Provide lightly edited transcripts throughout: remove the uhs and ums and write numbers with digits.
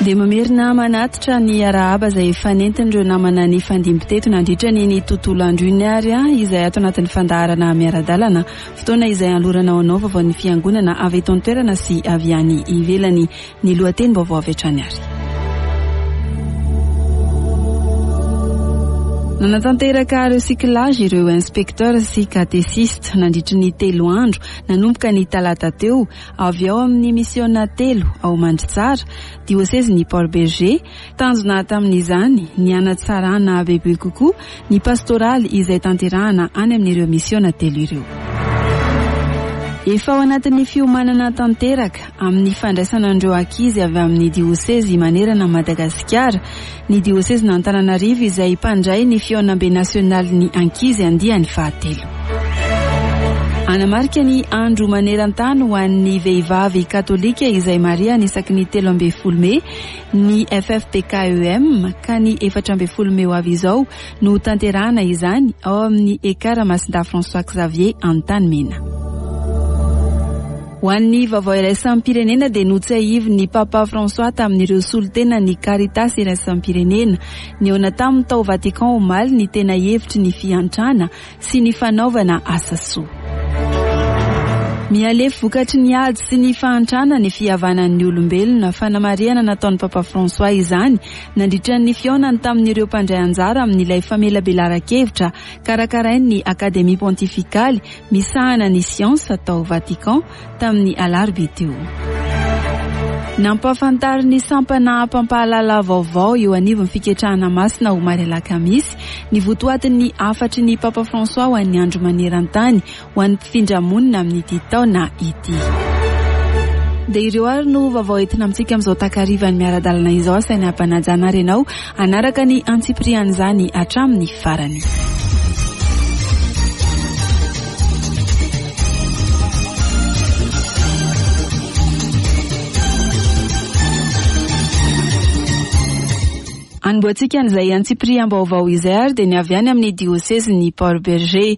Dia mamerina manatitra ny arahaba izay efa nentin'ireo namana nifandimby teto nandritra ny ny tontolo andro iny ary izay ato anatin'ny fandaharana miara-dalana, fotoana izay hanolorana ho anao vaovaon'ny fiangonana avy eto an-toerana sy avy any ivelany. Ny lohatenim-baovao avy hatrany ary. Nanatanteraka recyclage ireo inspecteurs sy catechistes nandritry ny telo andro nanomboka ny talata teo avy ao amin'ny misiona telo ao Mandritsara, diosezin'i Port Bergé. Tanjona tamin'izany ny hanatsarana bebe kokoa ny pastoraly izay tanterahana any amin'ireo misiona telo ireo. Efa ao anatin'ny fiomanana tanteraka amin'ny fandraisana an'ireo ankizy avy amin'ny diosezy manerana an'i Madagasikara ny diosezin'Antananarivo izay mpandray ny fihaonambe nasionalin'ny ankizy andiany fahatelo. Hanamarika ny andro maneran-tany ho an'ny vehivavy katolika izay marihana isaky ny 13 mey ny FFPKEM ka ny 14 mey ho avy izao no hotanterahana izany ao amin'ny Ekar Masindahy François Xavier Antanimena. Ho an'ny vaovao iraisam-pirenena dia notsiahivin'ny Papa François tamin'ireo solontenan'ny Caritas iraisam-pirenena nihaona taminy tao Vatican omaly ny tena hevitry ny fiantrana sy ny fanaovana asa soa. Mihalefy vokatry ny ady sy ny fahantrana ny fihavanan'ny olombelona, fanamarihana nataon'ny Papa François izany nandritra ny fihaonany tamin'ireo mpandray anjara amin'ilay famelabelaran-kevitra karakarain'ny Akademia Pontifikaly misahana ny siansa tao Vatican tamin'ny alarobia teo. Nampahafantarin'ny sampana mpampahalala vaovao eo anivon'ny Fiketrahana Masina omaly alakamisy ny votoatin'ny hafatry ny Papa François ho an'ny Andro maneran-tany ho an'ny mpifindra monina amin'ity taona ity. Dia ireo ary no vaovao entina amintsika amin'izao takarivan'ny miara-dalana izao. Asaina hampanajana ary ianao hanaraka ny antsipirian'izany hatramin'ny farany. Anombohantsika an'izay antsipiriam-baovao izay ary dia ny avy any amin'ny diosezin'i Port Bergé.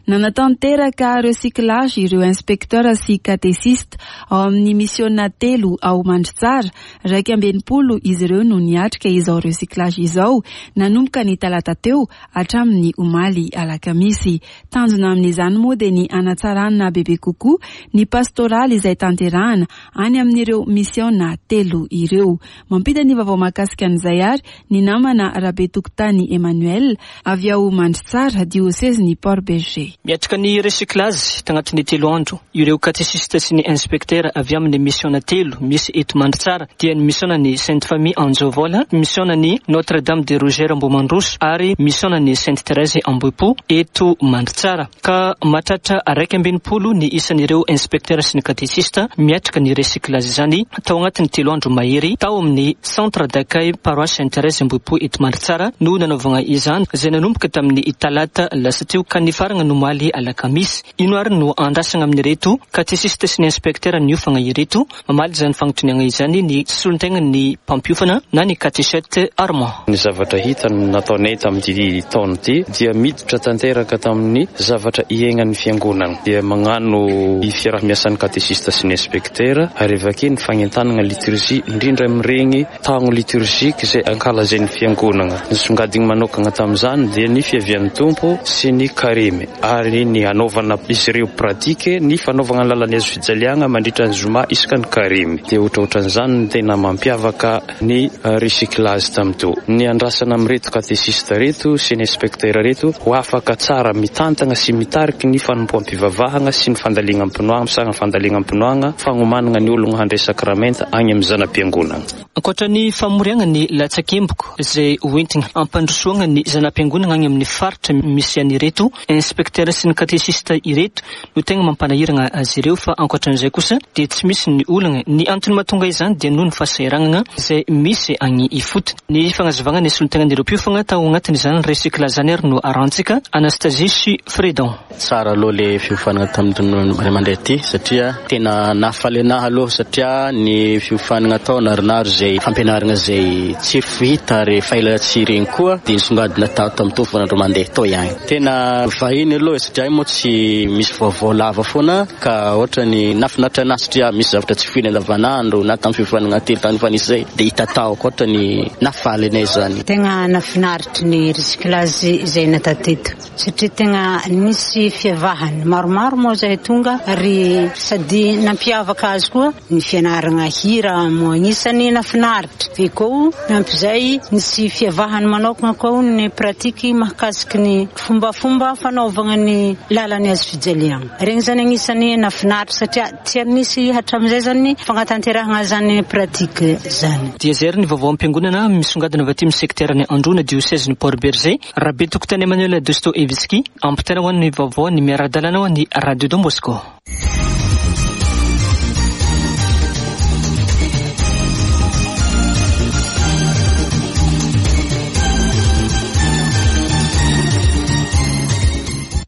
Nanatanteraka recyclage ireo inspecteur sy catechiste ao amin'ny misiona telo ao Mandritsara. 61 izy ireo no niatrika izao recyclage izao nanomboka ny talata teo hatramin'ny omaly alakamisy. Tanjona amin'izany moa dia ny hanatsarana bebe kokoa ny pastoraly izay tanterahana any amin'ireo misiona telo ireo. Mampita ny vaovao mahakasika an'izay ary ny namana Rabetokotany Emmanuel avy ao Mandritsara, diosezin'i Port Bergé. Miatrika ny recyclage tagnatin'ny telo andro ireo katesista sy ny inspektera avy amin'ny misiona telo misy eto Mandritsara dia ny misionan'ny Sainte Famille Anjovola, misionan'ny Notre Dame de Rougeur Ambohimandroso ary misionan'ny Sainte Thérèse Ambohipo eto Mandritsara. Ka mahatratra 61 ny isan'ireo inspektera sy ny katesista miatrika ny recyclage izany tao anatin'ny telo andro mahery tao amin'ny Centre d'accueil Paroisse Sainte Thérèse Ambohipo eto Mandritsara no nanaovagna izany izay nanomboka tamin'ny talata lasa teo ka nifaragna ny omaly alakamisy. Ino ary no andrasagna amin'ireto katesista sy ny inspektera niofagna ireto? Mamaly izany fanontaniana izany ny solontenan'ny mpampiofana na ny katechète Armand. Ny zavatra hita nataonay tamin'ity taona ity dia miditra tanteraka tamin'ny zavatra iainan'ny fiangonana. Dia magnano fiaraha-miasan'ny katesista sy ny inspektera ary avy ake ny fagnentanana liturgie indrindra amin'ireny taogno liturgique izay ankalazain'ny fiangonana. Nisongadiny manokana tamin'izany dia ny fiavian'ny Tompo sy ny karemy ary ny hanaovana izy ireo pratique ny fanaovana ny lalan'ny hazo fijaliagna mandritra ny zoma isaka ny karemy. Dia ohatraohatran'izany no tena mampiavaka ny recyclage tamin'ito. Ny andrasana amin'ireto katesista ireto sy ny inspecteur ireto ho afaka tsara mitantagna sy mitariky ny fanompoam-pivavahagna sy ny fandalignam-pinoagna, fandalignam-pinoagna, fagnomanagna ny ologno handray sakramenta agny amin'ny zana-piangonagna. Ankoatra ny famoriagna ny latsakemboka izay hoentigna hampandrosoagna ny zana-piangonagna agny amin'ny faritra misy an'ireto inspektera sy ny katesista ireto no tegna mampanahiragna azy ireo fa ankoatran'izay kosa dia tsy misy ny olagna. Ny antony mahatonga izany dia noho ny fahasahiranana izay misy agny ifotony. Ny fagnazavagna ny solontegnan'ireo mpiofagna tao agnatin'izany recyclage izany ary no arahantsika, Anastasie sy Fredon. Tsara aloha le fiofanana tamin'ny ray aman-dreny ity satria tena nahafaly anahy aloha satria ny fiofanana atao narinary ze. izay fampianarana izay tsy fahita ary efa ela tsy regny koa dia nisongadina tato amin'ny toa andro mandeha tao ihany. Tena vahiny aloha satria moa tsy misy vaovao lava foana ka ohatrany nahafinaritra anahy satria misy zavatra tsy foiny andavanandro na tamin'ny fiofanana telo tany efa nisy izay dia hita tao koa ohatrany nahafaly anay izany. Tegna nahafinaritry ny recyclage izay natao teto satria tegna nisy fiavahany maromaro moa zahay tonga ary sady nampiavaka azy koa ny fianaragna hira moa agnisan'ny nahafinaritra ve koa nampy izay nisy fiavahany manokana koa ny pratique mahakasiky ny fombafomba fanaovagna ny lalan'ny hazo fijaliagna. Regny zany agnisan'ny nahafinaritra satria tsy ary nisy hatramin'izay zany fagnatanterahagna zany pratique zany. Dia izay ary ny vaovao am-piangonana misongadina avy aty amin'ny sekteran'i Androna, diosezin'i Port Bergé. Rabetokotany Emmanuel Dostoevsky, ampitaina ho an'ny vaovao ny miara-dalana ho an'ny Radio Don Bosco.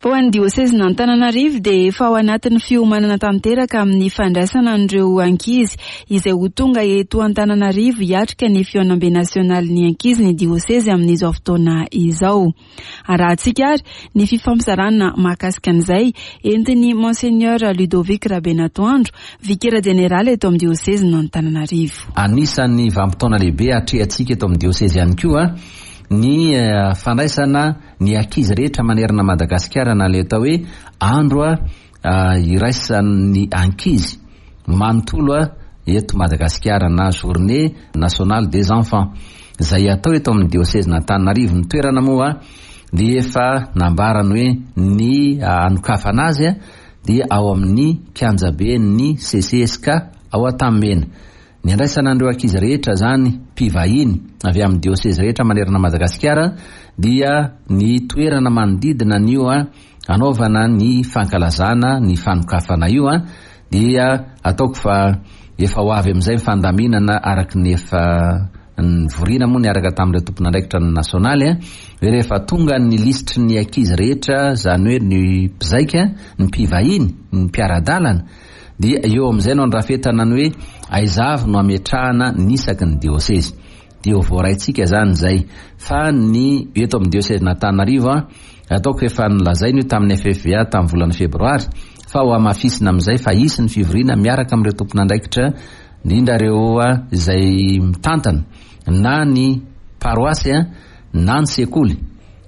Ho an'ny diosezin'Antananarivo dia efa ao anatin'ny fiomanana tanteraka amin'ny fandraisana an'ireo ankizy izay ho tonga eto Antananarivo hiatrika ny fihaonambe nasionalin'ny ankizy ny diosezy amin'izao fotoana izao. Arahantsika ary ny fifampizarana mahakasika an'izay entin'ny Monseigneur Ludovic Rabenatoandro, vikera jeneraly eto amin'ny diosezin'Antananarivo. Anisan'ny vanim-potoana lehibe atrehantsika eto amin'ny diosezy ihany koa ny fandraisana ny ankizy rehetra manerana Madagasikara na ilay atao hoe andro iraisan'ny ankizy manontolo eto Madagasikara na journée nationale des enfants izay atao eto amin'ny diosezin'Antananarivo. Ny toerana moa dia efa nambarany hoe ny hanokafana azy dia ao amin'ny kianjaben'ny CCSK ao Antanimena. Ny andraisana an'ireo ankizy rehetra izany, mpivahiny avy amin'ny diosezy rehetra manerana Madagasikara dia ny toerana manodidina an'io hanaovana ny fankalazana ny fanokafana io dia ataoko fa efa ho avy amin'izay ny fandaminana araka ny efa nivoriana moa niaraka tamin'ireo tompon'andraikitra ny nasionaly hoe rehefa tonga ny lisitry ny ankizy rehetra izany hoe ny mpizaika, ny mpivahiny, ny mpiara-dalana Dia eo amin'izay no andrafetana ny hoe aiza avy no ametrahana ny isaky ny diosezy. Dia ho voaraintsika izany izay. Fa ny eto amin'ny diosezin'Antananarivo an, ataoko efa nolazaina io tamin'ny FFVA tamin'ny volana febroary, fa ho hamafisina amin'izay fa hisy ny fivoriana miaraka amin'ireo tompon'andraikitra, indrindra ireo izay mitantana na ny paroasy na ny sekoly.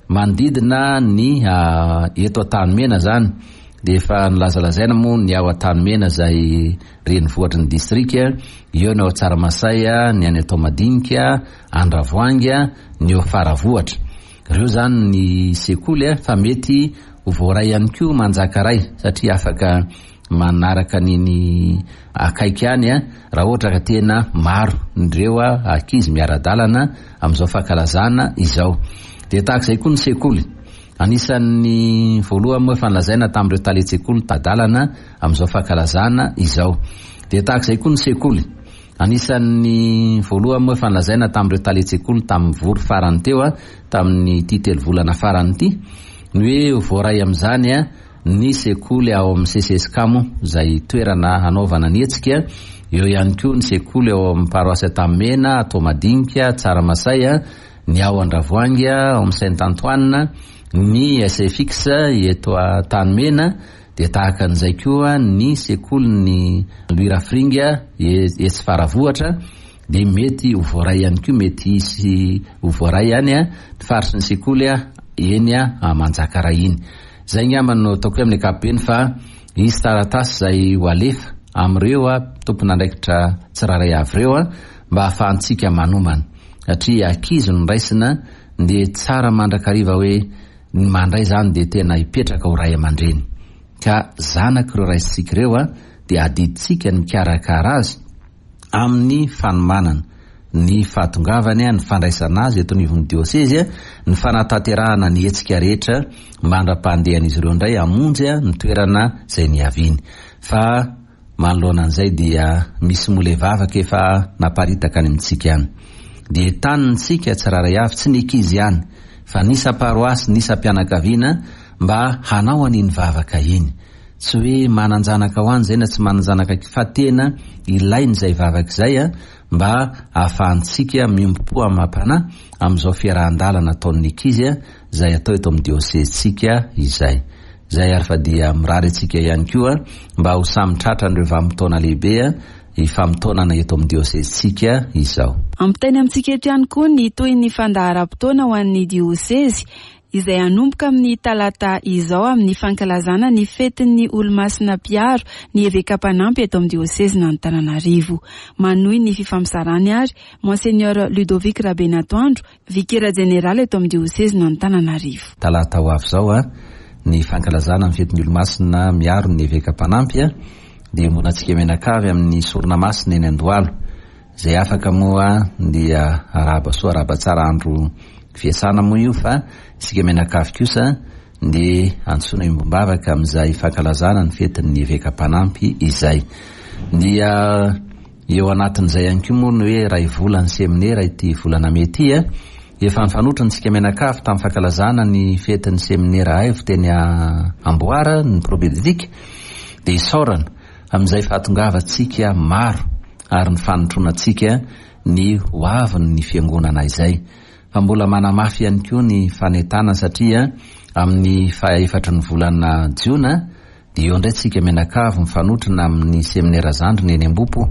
Manodidina ny eto Antanimena izany dia efa nolazalazaina moa ny ao Antanimena izay renivohitry ny distrika, eo ny ao Tsaramasay, ny any Antoamadinika, Andravoahangy, ny eo Faravohitra. Ireo izany ny sekoly fa mety ho voaray ihany koa Manjakaray satria afaka manaraka an'iny akaiky any raha ohatra ka tena maro ireo ankizy miara-dalana amin'izao fankalazana izao. Dia tahaka izay koa ny sekoly. Anisan'ny voalohany moa efa nolazaina tamin'ireo talen-tsekoly tadalana amin'izao fankalazana izao. Dia tahaka izay koa ny sekoly. Anisan'ny voalohany moa efa nolazaina tamin'ireo talen-tsekoly tamin'ny vory farany teo tamin'ity telovolana farany ity ny hoe voaray amin'izany ny sekoly ao amin'ny CCSCAMO izay toerana hanaovana ny hetsika, eo ihany koa ny sekoly ao amin'ny paroasy Antanimena, Toamadinika, Tsaramasay, ny ao Andravoahangy, ao amin'ny Saint Antoine, ny SFX eto Antanimena, dia tahaka an'izay koa ny sekolin'ny Louis Rafiringa etsy Faravohitra, dia mety ho voaray ihany koa, mety hisy ho voaray any ny faritry ny sekoly eny Manjakaray iny. Izay angamba no ataoko hoe amin'ny ankapobeny fa hisy taratasy izay ho alefa amin'ireo tompon'andraikitra tsirairay avy ireo mba hahafahantsika manomana satria ankizy no raisina dia tsara mandrakariva hoe ny mandray izany dia tena hipetraka ho ray aman-dreny ka zanak'ireo raisintsika ireo dia adidintsika ny mikarakara azy amin'ny fanomanana ny fahatongavany, ny fandraisana azy eto anivon'ny diosezy, ny fanatanterahana ny hetsika rehetra mandra-pandehan'izy ireo indray hamonjy ny toerana izay niaviany. Fa manoloana an'izay dia misy mole vavaka efa naparitaka any amintsika any. Dia entanintsika tsirairay avy, tsy ny ankizy ihany, fa ny isam-paroasy, ny isam-pianakaviana mba hanao an'iny vavaka iny. Tsy hoe manan-janaka ho any izay na tsy manan-janaka fa tena ilaina izay vavaka izay mba ahafahantsika miombom-po amam-panahy amin'izao fiarahan-dalana ataon'ny ankizy izay atao eto amin'ny diosezintsika izay. Izay ary fa dia mirary antsika ihany koa mba ho samy tratran'ireo vanim-potoana lehibe ifamotoanana eto amin'ny diosezintsika izao. Ampitainy amintsika eto ihany koa ny tohin'ny fandaharam-potoana ho an'ny diosezy izay hanomboka amin'ny talata izao amin'ny fankalazana ny fetin'ny Olomasina Mpiaro ny Eveka Mpanampy eto amin'ny diosezin'Antananarivo. Manohy ny fifampizarany ary Monseigneur Ludovic Rabenatoandro, Vikera Jeneraly eto amin'ny diosezin'Antananarivo. Talata ho avy izao ny fankalazana ny fetin'ny Olomasina Miaro ny Eveka Mpanampy dia iombonantsika mianakavy amin'ny sorona masina eny Andohalo. Izay afaka moa dia arahaba soa arahaba tsara andro fiasana moa io fa isika mianakavy kosa dia antsoina iombom-bavaka amin'izay fankalazana ny fetin'ny eveka mpanampy izay. Dia eo anatin'izay ihany koa moa ny hoe iray volan'ny seminera ity volana mey ity a. Efa nifanotrona isika mianakavy tamin'ny fankalazana ny fetin'ny seminera Aivo teny Amboara ny propédeutique dia isaorana amin'izay fahatongavantsika maro ary ny fanotronantsika ny ho avin' ny Fiangonana izay. Fa mbola manamafy ihany koa ny fanentanana satria amin' ny faha-efatry ny volana Jiona dia eo indray tsika mianakavy mifanotrona amin' ny Seminera Zandriny eny Ambohipo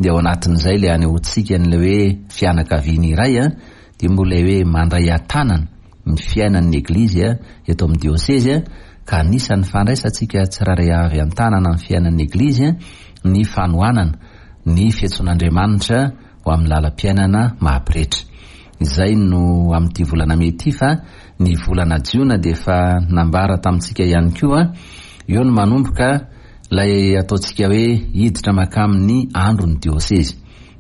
dia ao anatin' izay ilay anehoantsika an' ilay hoe fianakaviana iray dia mbola ilay hoe mandray an-tanana ny fiainan' ny Eglizy eto amin' ny Diosezy ka anisan' ny fandraisantsika tsirairay avy an-tanana ny fiainan' ny Eglizy ny fanohanana ny fiantsoan'Andriamanitra ho amin'ny lalam-piainana maha-pretra. Izay no amin'ity volana mey ity fa ny volana jiona dia efa nambara tamintsika ihany koa, eo no manomboka ilay ataontsika hoe hiditra mankamin'ny andron'ny diosezy.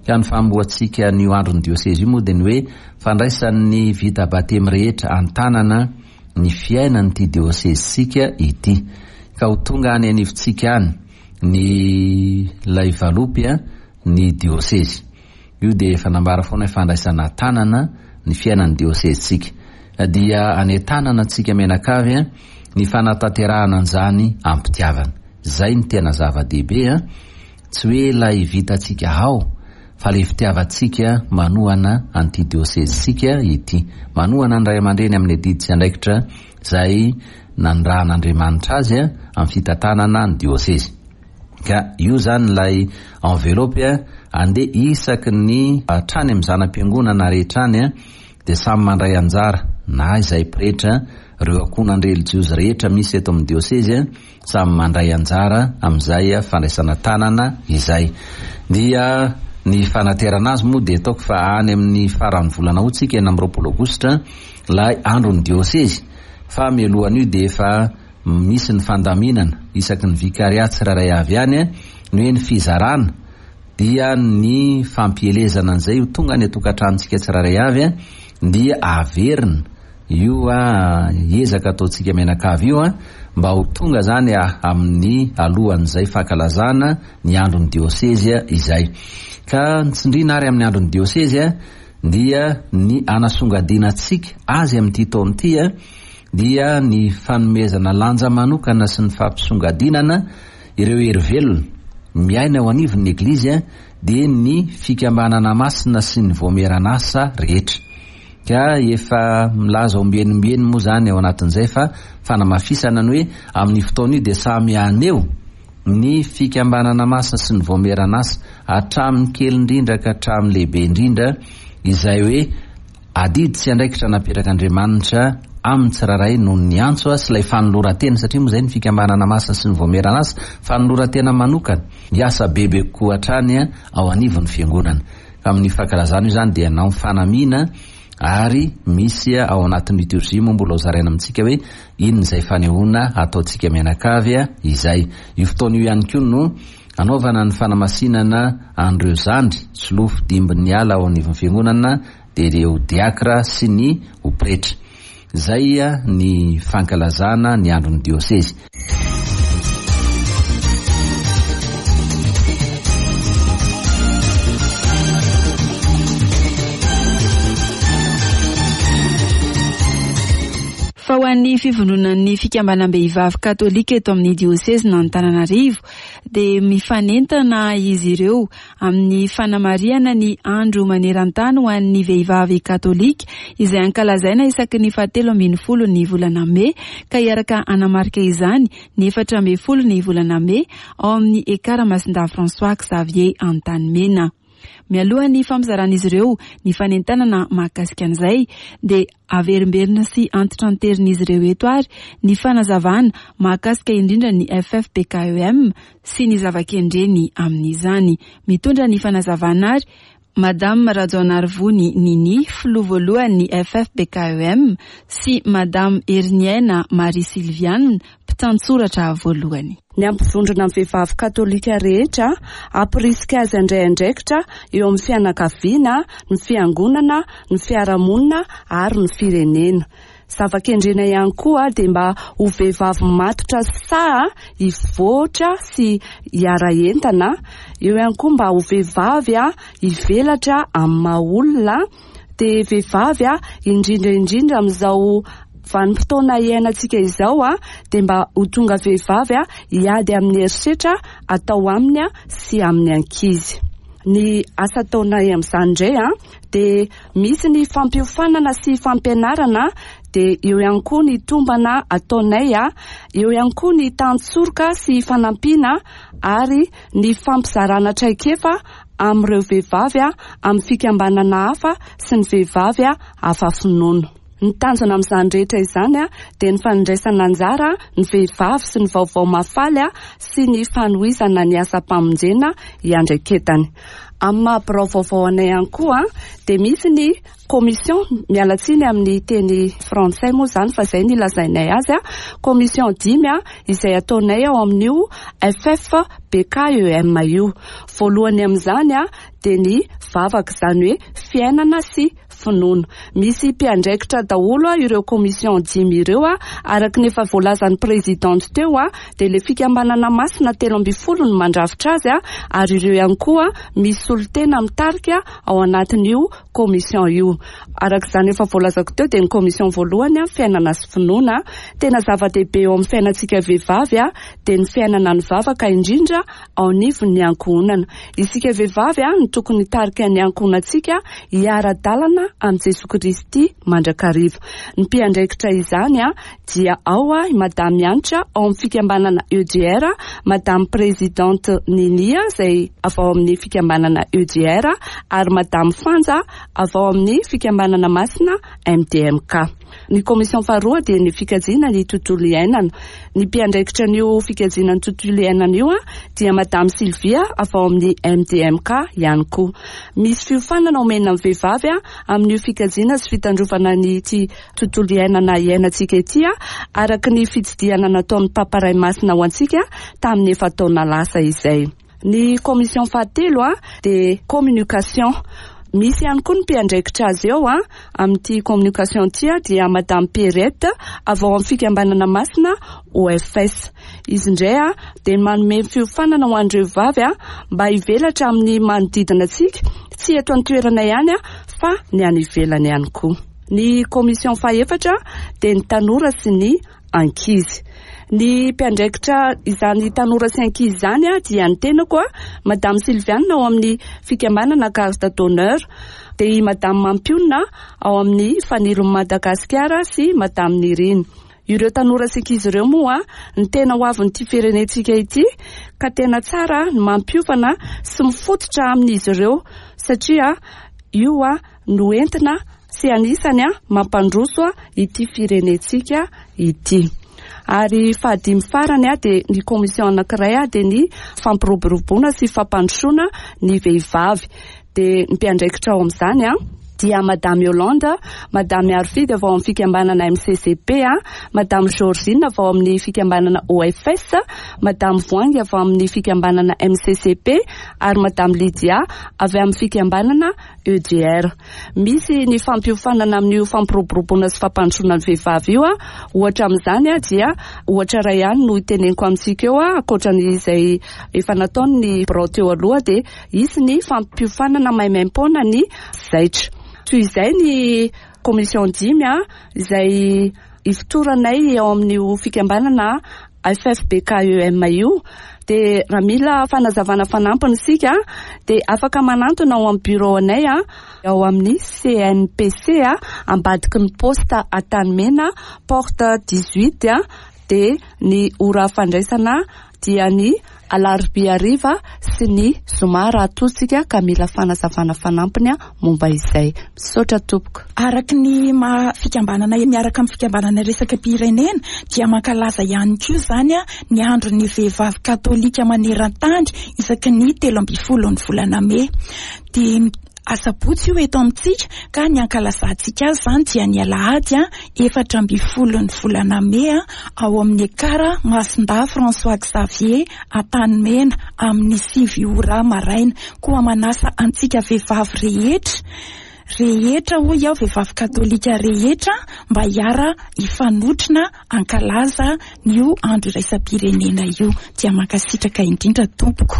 Ka ny fanombohantsika an'io andron'ny diosezy io moa dia ny hoe fandraisan'ny vita batemy rehetra an-tanana ny fiainan'ity diosezintsika ity. Ka ho tonga any anivontsika any ny ilay valopy ny diosezy. Io dia efa nambara foana hoe fandraisana an-tanana ny fiainan'ny diosezintsika. Dia anentanana antsika mianakavy ny fanatanterahana an'izany am-pitiavana. Izay no tena zava-dehibe an! Tsy hoe ilay vitantsika ao fa ilay fitiavantsika manohana an'ity diosezintsika ity. Manohana ny ray aman-dreny amin'ny adidy sy andraikitra izay nanirahan'Andriamanitra azy amin'ny fitantanana ny diosezy. Ka io izany ilay enveloppe andeha isaky ny hatrany amin'ny zana-piangonana rehetra any dia samy mandray anjara na izay pretra, ireo ankohonan-drelijiozy rehetra misy eto amin'ny diosezy samy mandray anjara amin'izay fandraisana tanana izay. Dia ny fanaterana azy moa dia ataoko fa any amin'ny faran'ny volana août tsika 26 aogositra ilay andron'ny diosezy fa mialohan'io dia efa misy ny fandaminana isaky ny vicariat tsirairay avy any ny hoe ny fizarana dia ny fampielezana an'izay ho tonga any an-tokantranontsika tsirairay avy dia averina io ezaka ataontsika mianakavy io mba ho tonga zany amin'ny alohan'izay fankalazana ny andron'ny diosezy izay. Ka ny tsindriana ary amin'ny andron'ny diosezy dia ny anasongadinantsika azy amin'ity taona ity dia ny fanomezana lanja manokana sy ny fampisongadinana ireo hery velona miaina eo anivon'ny Eglizy dia ny fikambanana masina sy ny voamieran'asa rehetra. Ka efa milaza ombieny ombieny moa izany ao anatin'izay fa fanamafisana ny hoe amin'io fotoana io dia samy haneho ny fikambanana masina sy ny vaomieran'asa hatramin'ny kely indrindra ka hatramin'ny lehibe indrindra izay hoe adidy sy andraikitra napetrak'Andriamanitra amin'ny tsirairay noho ny antso sy ilay fanoloran-tena satria moa izay ny fikambanana masina sy ny vaomieran'asa fanoloran-tena manokana hiasa bebe kokoa hatrany ao anivon'ny fiangonana. Amin'io fankalazana io izany dia hanao fanamiana ary misy ao anatin'ny liturgie moa mbola ho zaraina amintsika hoe inona izay fanehoana ataontsika mianakavy izay. Io fotoana io ihany koa no anaovana ny fanamasinana an'ireo zandry, solofo dimbin'ny ala ao anivon'ny fiangonana dia ireo diakra sy ny ho pretra. Izay ny fankalazana ny andron'ny diosezy. Fa Fa ho an'ny fivondronan'ny fikambanam-behivavy katolika eto amin'ny diosezin'Antananarivo dia mifanentana izy ireo amin'ny fanamarihana ny andro maneran-tany ho an'ny vehivavy katolika izay ankalazaina isaky ny fahatelo ambin'ny folo ny volana mey, ka hiaraka hanamarika izany ny 14 ny volana mey ao amin'ny Ekara Masindahy François Xavier Antanimena. Mialohan'ny fampizaran'izy ireo ny fanentanana mahakasika an'izay dia averimberina sy antitranterin'izy ireo eto ary ny fanazavana mahakasika indrindra ny FFBKEM sy ny zava-kendreny amin'izany. Mitondra ny fanazavana ary Madame Rajaonarivony Nini, filoha voalohan'ny FFBKEM, sy Madame Heriniaina Marie Sylviane, mpitantsoratra voalohany. Ny hampivondrona ny vehivavy katolika rehetra, hampirisika azy handray andraikitra eo amin'ny fianakaviana, ny fiangonana, ny fiarahamonina ary ny firenena. Zava-kendrena ihany koa dia mba ho vehivavy matotra sy sahy hivoatra sy hiara-entana, eo ihany koa mba ho vehivavy hivelatra amin'ny maha olona, dia vehivavy indrindra indrindra amin'izao vanim-potoana iainantsika izao dia mba ho tonga vehivavy hiady amin'ny herisetra atao aminy sy amin'ny ankizy. Ny asa ataonay amin'izany indray dia misy ny fampiofanana sy fampianarana, dia eo ihany koa ny tombana ataonay, eo ihany koa ny tantsoroka sy fanampiana ary ny fampizarana traikefa amin'ireo vehivavy amin'ny fikambanana hafa sy ny vehivavy hafa finoana. Ny tanjona amin'izany rehetra izany dia ny fandraisana anjara ny vehivavy sy ny vaovao mahafaly sy ny fanohizana ny asam-pamonjena iandraiketany. Amin'ny maha birao vaovao anay ihany koa dia misy ny commission, miala tsiny amin'ny teny frantsay moa izany fa izay no ilazainay azy, commission 5 izay ataonay ao amin'io FFBKEM io. Voalohany amin'izany dia ny vavaka, izany hoe fiainana sy finoana. Misy mpiandraikitra daholo ireo commission 5 ireo, araka ny efa voalazan'ny présidente teo, dia ilay fikambanana masina 13 no mandrafitra azy, ary ireo ihany koa misy solontena mitarika ao anatin'io commission io. Araka izany efa voalazako teo dia ny commission voalohany, fiainana sy finoana. Tena zava-dehibe eo amin'ny fiainantsika vehivavy dia ny fiainana ny vavaka, indrindra ao anivon'ny ankohonana. Isika vehivavy no tokony hitarika ny ankohonantsika hiara-dalana amin'i Jesoa Kristy mandrakariva. Ny mpiandraikitra izany dia ao i Madame Hanitra ao amin'ny fikambanana EDR, Madame Présidente Ninia izay avy ao amin'ny fikambanana EDR ary Madame Fanja avy ao amin'ny fikambanana masina MDMK. Ny commission faharoa dia ny fikajiana ny tontolo iainana. Ny mpiandraikitra an'io fikajiana ny tontolo iainana io dia Madame Sylvia avy ao amin'ny MDMK ihany koa. Misy fiofanana omena amin'ny vehivavy amin'io fikajiana sy fitandrovana ny ity tontolo iainana iainantsika ity, araka ny fitsidihana nataon'ny Papa Ray Masina ho antsika tamin'ny efa-taona lasa izay. Ny commission fahatelo dia communication. Misy ihany koa ny mpiandraikitra azy eo amin'ity communication ity, dia Madame Pierrette avy ao amin'ny fikambanana masina OFS. Izy indray dia manome fiofanana ho an'ireo vehivavy mba hivelatra amin'ny manodidina antsika, tsy eto an-toerana ihany fa ny any ivelany ihany koa. Ny commission fahefatra dia ny tanora sy ny ankizy. Ny mpiandraikitra izany tanora sy ankizy izany dia ny tenako, Madame Sylviane ao amin'ny fikambanana Garde d'honneur, dia i Madame Mampionona ao amin'ny Fanilon'i Madagasikara sy Madame Nirina. Ireo tanora sy ankizy ireo moa ny tena ho avin'ity firenentsika ity, ka tena tsara ny mampiofana sy mifototra amin'izy ireo satria io no entina sy anisany mampandroso ity firenentsika ity. Ary fahadimy farany dia ny commission anankiray dia ny fampiroboroboana sy fampandrosoana ny vehivavy. Dia ny mpiandraikitra ao amin'izany dia Madame Yolande, Madame Arfidy avy ao amin'ny fikambanana MCCP, Madame Georgine avy ao amin'ny fikambanana OFS, Madame Voahangy avy ao amin'ny fikambanana MCCP ary Madame Lydia avy amin'ny fikambanana EDR. Misy ny fampiofanana amin'io fampiroboroboana sy fampandrosoana ny vehivavy io. Ohatra amin'izany dia ohatra iray ihany no hiteneniko amintsika eo, ankoatra izay efa nataon'ny birao teo aloha, dia hisy ny fampiofanana maimaimpoana ny zaitra. Toy izay ny commission 5 izay. Ifotoranay ao amin'io fikambanana FFBKEM io dia raha mila fanazavana fanampiny isika dia afaka manantona ao amin'ny bureau anay ao amin'ny CNPC ambadiky ny poste Antanimena porte 18 dia ny ora fandraisana dia ny alarobia hariva sy ny zoma raha toa isika ka mila fanazavana fanampiny momba izay. Misaotra tompoko. Araka ny maha fikambanana miaraka amin'ny fikambanana iraisam-pirenena dia mankalaza ihany koa izany ny andron'ny vehivavy katolika maneran-tany isaky ny 13 ny volana mey. Dia asabotsy io eto amintsika ka ny ankalazantsika azy izany dia ny alahady 14 ny volana mey ao amin'ny Ekara Masindahy François Xavier Antanimena amin'ny 9 ora maraina. Koa manasa antsika vehivavy rehetra rehetra hoy aho vehivavy katolika rehetra mba hiara hifanotrona hankalaza io andro iraisam-pirenena io. Dia mankasitraka indrindra tompoko.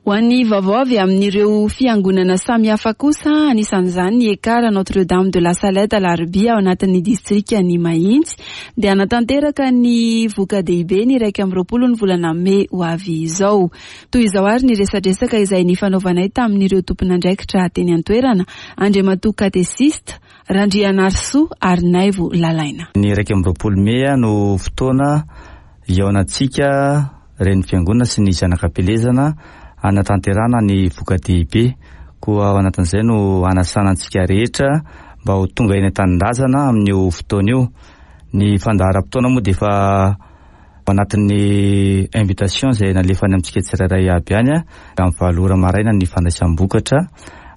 Ho an'ny vaovao avy amin'ireo fiangonana samihafa kosa, anisan'izany ny Ekar Notre Dame de la Salette Alarobia ao anatin'ny distrikan'i Mahitsy, dia hanatanteraka ny voka-dehibe ny 21 ny volana mey ho avy izao. Toy izao ary ny resadresaka izay nifanaovanay tamin'ireo tompon'andraikitra teny an-toerana, Andriamatoa Katesista, Randrianarisoa Harinaivo Lalaina. Ny 21 mey no fotoana hihaonantsika Reny Fiangonana sy ny Zanak'Ampielezana hanatanterahana ny voka-dehibe. Koa ao anatin'izay no hanasana antsika rehetra mba ho tonga eny an-tanindrazana amin'io fotoana io. Ny fandaharam-potoana moa dia efa Ao anatin'ny invitation izay nalefa any amintsika tsirairay aby any, amin'ny 8 ora maraina ny fandraisam-bokatra,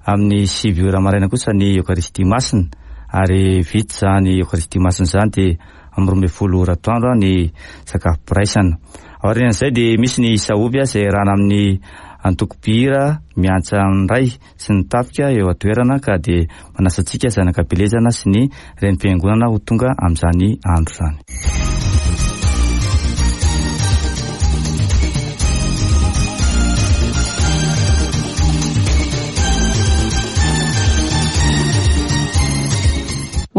amin'ny 9 ora maraina kosa ny Eokaristia Masina, ary vita izany Eokaristia Masina izany dia amin'ny 12 ora atoandro ny sakafom-piraisana. Aorian'izay dia misy ny sahoby izay iarahana amin'ny antoko mpihira miantsa ny Ray sy ny tafika eo an-toerana ka dia manasa antsika zanak'Ampelezana sy ny renim-piangonana ho tonga amin'izany andro izany.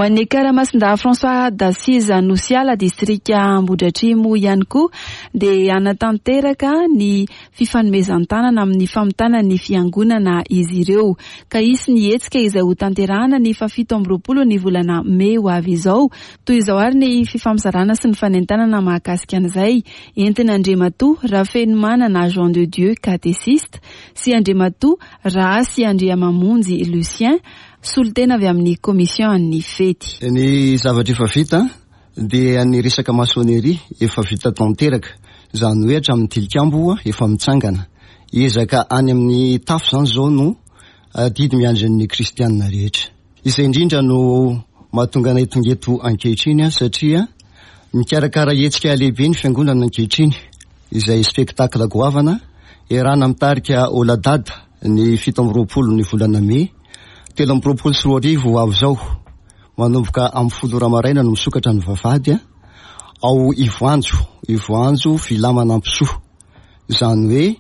Ho an'ny Ekar Masindahy François d'Assise Anosiala, distrika Ambohidratrimo ihany koa dia hanatanteraka ny fifanomezan-tanana amin'ny famitana ny fiangonana izy ireo ka hisy ny hetsika izay ho tanterahana ny faha-27 ny volana mey ho avy izao. Toy izao ary ny fifampizarana sy ny fanentanana mahakasika an'izay entin'Andriamatoa Rafenomanana Jean de Dieu katesista sy Andriamatoa Rahasy Andriamamonjy Lucien solontena avy amin'ny commission an'ny fety. Ny zavatra efa vita dia ny resaka maçonnerie efa vita tanteraka, izany hoe hatramin'ny tilikambo efa mitsangana. Ezaka any amin'ny tafo izany izao no adidy miandry ny kristianina rehetra. Izay indrindra no mahatonga anay tonga eto ankehitriny satria mikarakara hetsika lehibe ny fiangonana ankehitriny, izay spectacle goavana iarahana mitarika Oladad ny 27 ny volana mey 2023 ho avy izao. Manomboka amin'ny 10 ora maraina no misokatra ny vavahady ao Ivoanjo, Ivoanjo Villa Manampisoa. Izany hoe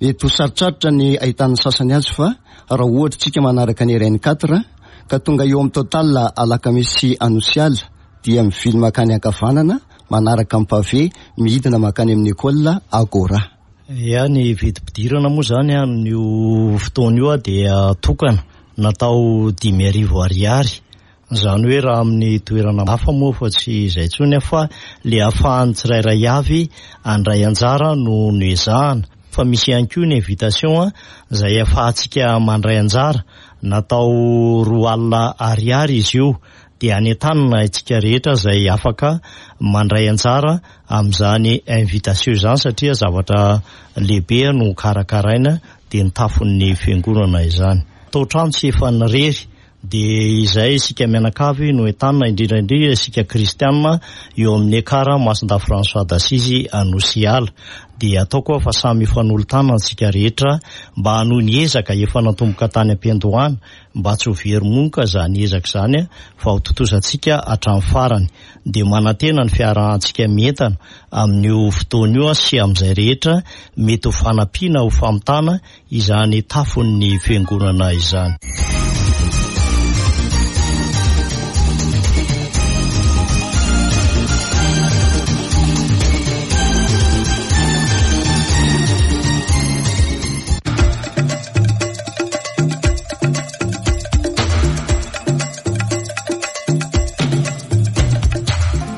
mety ho sarotsarotra ny ahitan'ny sasany azy fa raha ohatra tsika manaraka ny RN 4 ka tonga eo amin'ny Total Alakamisy sy Anosiala dia mivily makany ankavanana manaraka ny pavé midina makany amin'ny école Agora. Ya, ny vidim-pidirana moa izany amin'io fotoana io dia tokana. Natao 5000 ariary, izany hoe raha amin'ny toerana hafa moa fa tsy izay intsony fa le ahafahan'ny tsirairay avy handray anjara no noezahana. Fa misy ihany koa ny invitation izay ahafahantsika mandray anjara, natao 20 ariary izy io, dia anentanina isika rehetra izay afaka mandray anjara amin'izany invitation izany satria zavatra lehibe no karakaraina dia ny tafon'ny fiangonana izany. Tao trano tsy efa nirery. Dia izay isika mianakavy no entanina, indrindra indrindra isika kristiana eo amin'ny Ekar Masindahy François d'Assise Anosiala. Dia ataoko fa samy hifanolo-tanana isika rehetra mba hanohy ny ezaka efa natomboka tany am-piandohana mba tsy ho very monka izany ezaka izany fa ho tontosantsika hatramin'ny farany. Dia manantena ny fiarahantsika mientana amin'io fotoana io sy amin'izay rehetra mety ho fanampiana ho famitana izany tafon'ny fiangonana izany.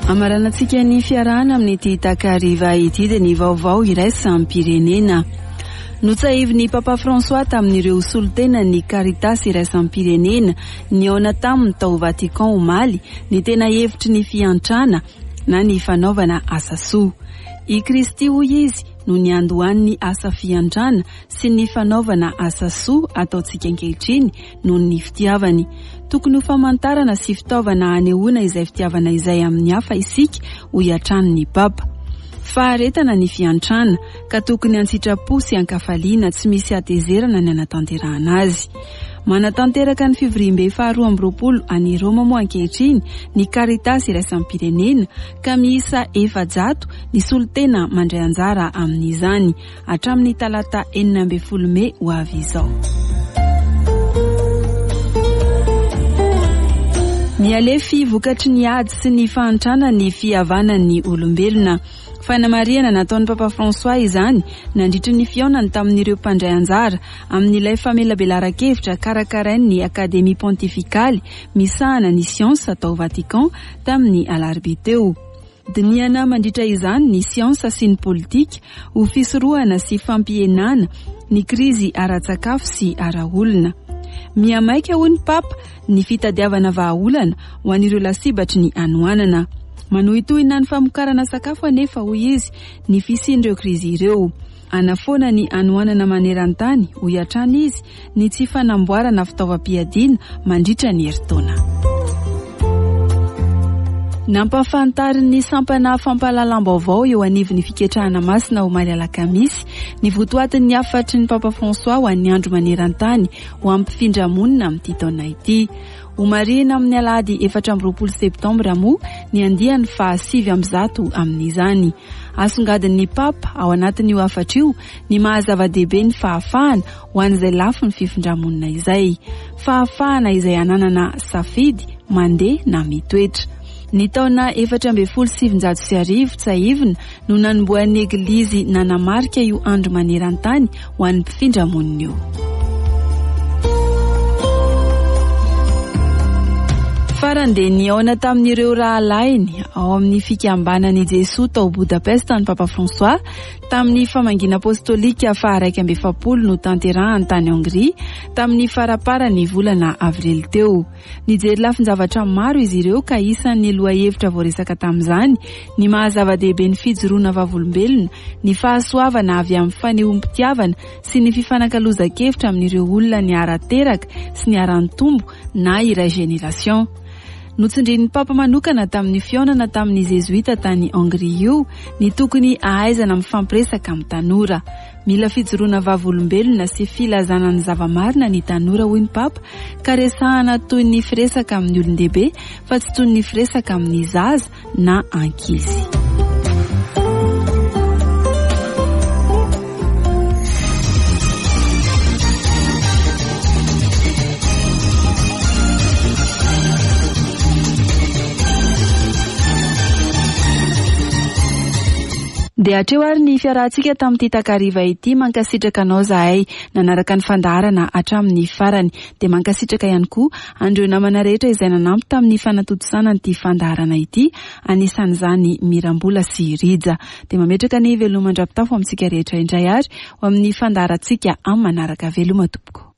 Amaranantsika ny fiarahana amin'ity takariva ity dia ny vaovao iraisam-pirenena. Notsahivin'ny Papa François tamin'ireo solontenan'ny Caritas iraisam-pirenena nihaona taminy tao Vatican omaly ny tena hevitry ny fiantrana na ny fanaovana asa soa. I Kristy hoy izy no niandohan'ny asa fiantrana sy ny fanaovana asa soa ataontsika ankehitriny noho ny fitiavany. Tokony ho famantarana sy fitaovana hanehoana izay fitiavana izay amin'ny hafa isika, hoy hatrany ny Papa. Faharetana ny fiantrana, ka tokony an-tsitrapo sy an-kafaliana tsy misy hatezerana ny hanatanterahana azy. Manatanteraka ny fivoriambe faharoa amby 20 any Roma moa ankehitriny ny Caritas iraisam-pirenena ka miisa 400 ny solontena mandray anjara amin'izany hatramin'ny talata 16 mey ho avy izao. Mihalefy vokatry ny ady sy ny fahantrana ny fihavanan'ny olombelona. Fanamarihana nataon'ny Papa François izany nandritry ny fihaonany tamin'ireo mpandray anjara amin'ilay famelabelaran-kevitra karakarain'ny Akademia Pontifikaly misahana ny siansa tao Vatican tamin'ny alarobia teo. Dinihana mandritra izany ny siansa sy ny politika ho fisorohana sy fampihenana ny krizy ara-tsakafo sy ara-olona. Mihamaika hoy ny Papa ny fitadiavana vahaolana ho an'ireo lasibatry ny hanoanana. Manohitohina ny famokarana sakafo anefa hoy izy ny fisian'ireo krizy ireo. Hanafoana ny hanoanana maneran-tany hoy hatrany izy ny tsy fanamboarana fitaovam-piadiana mandritra ny herintaona. Nampahafantarin'ny sampana fampahalalam-baovao eo anivon'ny fiketrahana masina omaly alakamisy ny votoatin'ny hafatry ny Papa François ho an'ny andro maneran-tany ho amin'ny mpifindra-monina amin'ity taona ity. Homarihina amin'ny alahady 24 septambra moa ny andiany faha-109 amin'izany. Asongadin'ny Papa ao anatin'io hafatra io ny maha zava-dehibe ny fahafahana ho an'izay lafiny fifindramonina izay. Fahafahana izay hananana safidy mandeha na mitoetra. Ny taona 1914 tsiahivina no nanombohan'ny Eglizy nanamarika io andro maneran-tany ho an'ny mpifindra-monina io. Farany dia nihaona tamin'ireo rahalahiny ao amin'ny fikambanan'i Jesoa tao Budapest ny Papa François tamin'ny famangiana apostolika faha-41 notanterahany tany Hongria tamin'ny faramparan'ny volana avrily teo. Nijery lafin-javatra maro izy ireo ka isan'ny lohahevitra voaresaka tamin'izany ny maha zava-dehibe ny fijoroana vavolombelona, ny fahasoavana avy amin'ny fanehoam-pitiavana sy ny fifanakalozan-kevitra amin'ireo olona niara-teraka sy niara-nitombo na iray génération. Notsindrin'ny Papa manokana tamin'ny fihaonana tamin'ny Zezoita tany Hongria io ny tokony hahaizana mifampiresaka amin'ny tanora. Mila fijoroana vavolombelona sy filazana ny zava-marina ny tanora hoy ny Papa ka resahana toy ny firesaka amin'ny olon-dehibe fa tsy toy ny firesaka amin'ny zaza na ankizy. Dia hatreo ary ny fiarahantsika tamin'ity takariva ity. Mankasitraka anao zahay nanaraka ny fandaharana hatramin'ny farany. Dia mankasitraka ihany koa an'ireo namana rehetra izay nanampy tamin'ny fanatontosana an'ity fandaharana ity, anisan'izany Mirambola sy Rija. Dia mametraka ny veloma mandra-pitafo amintsika rehetra indray ary ho amin'ny fandaharantsika amin'ny manaraka. Veloma tompoko.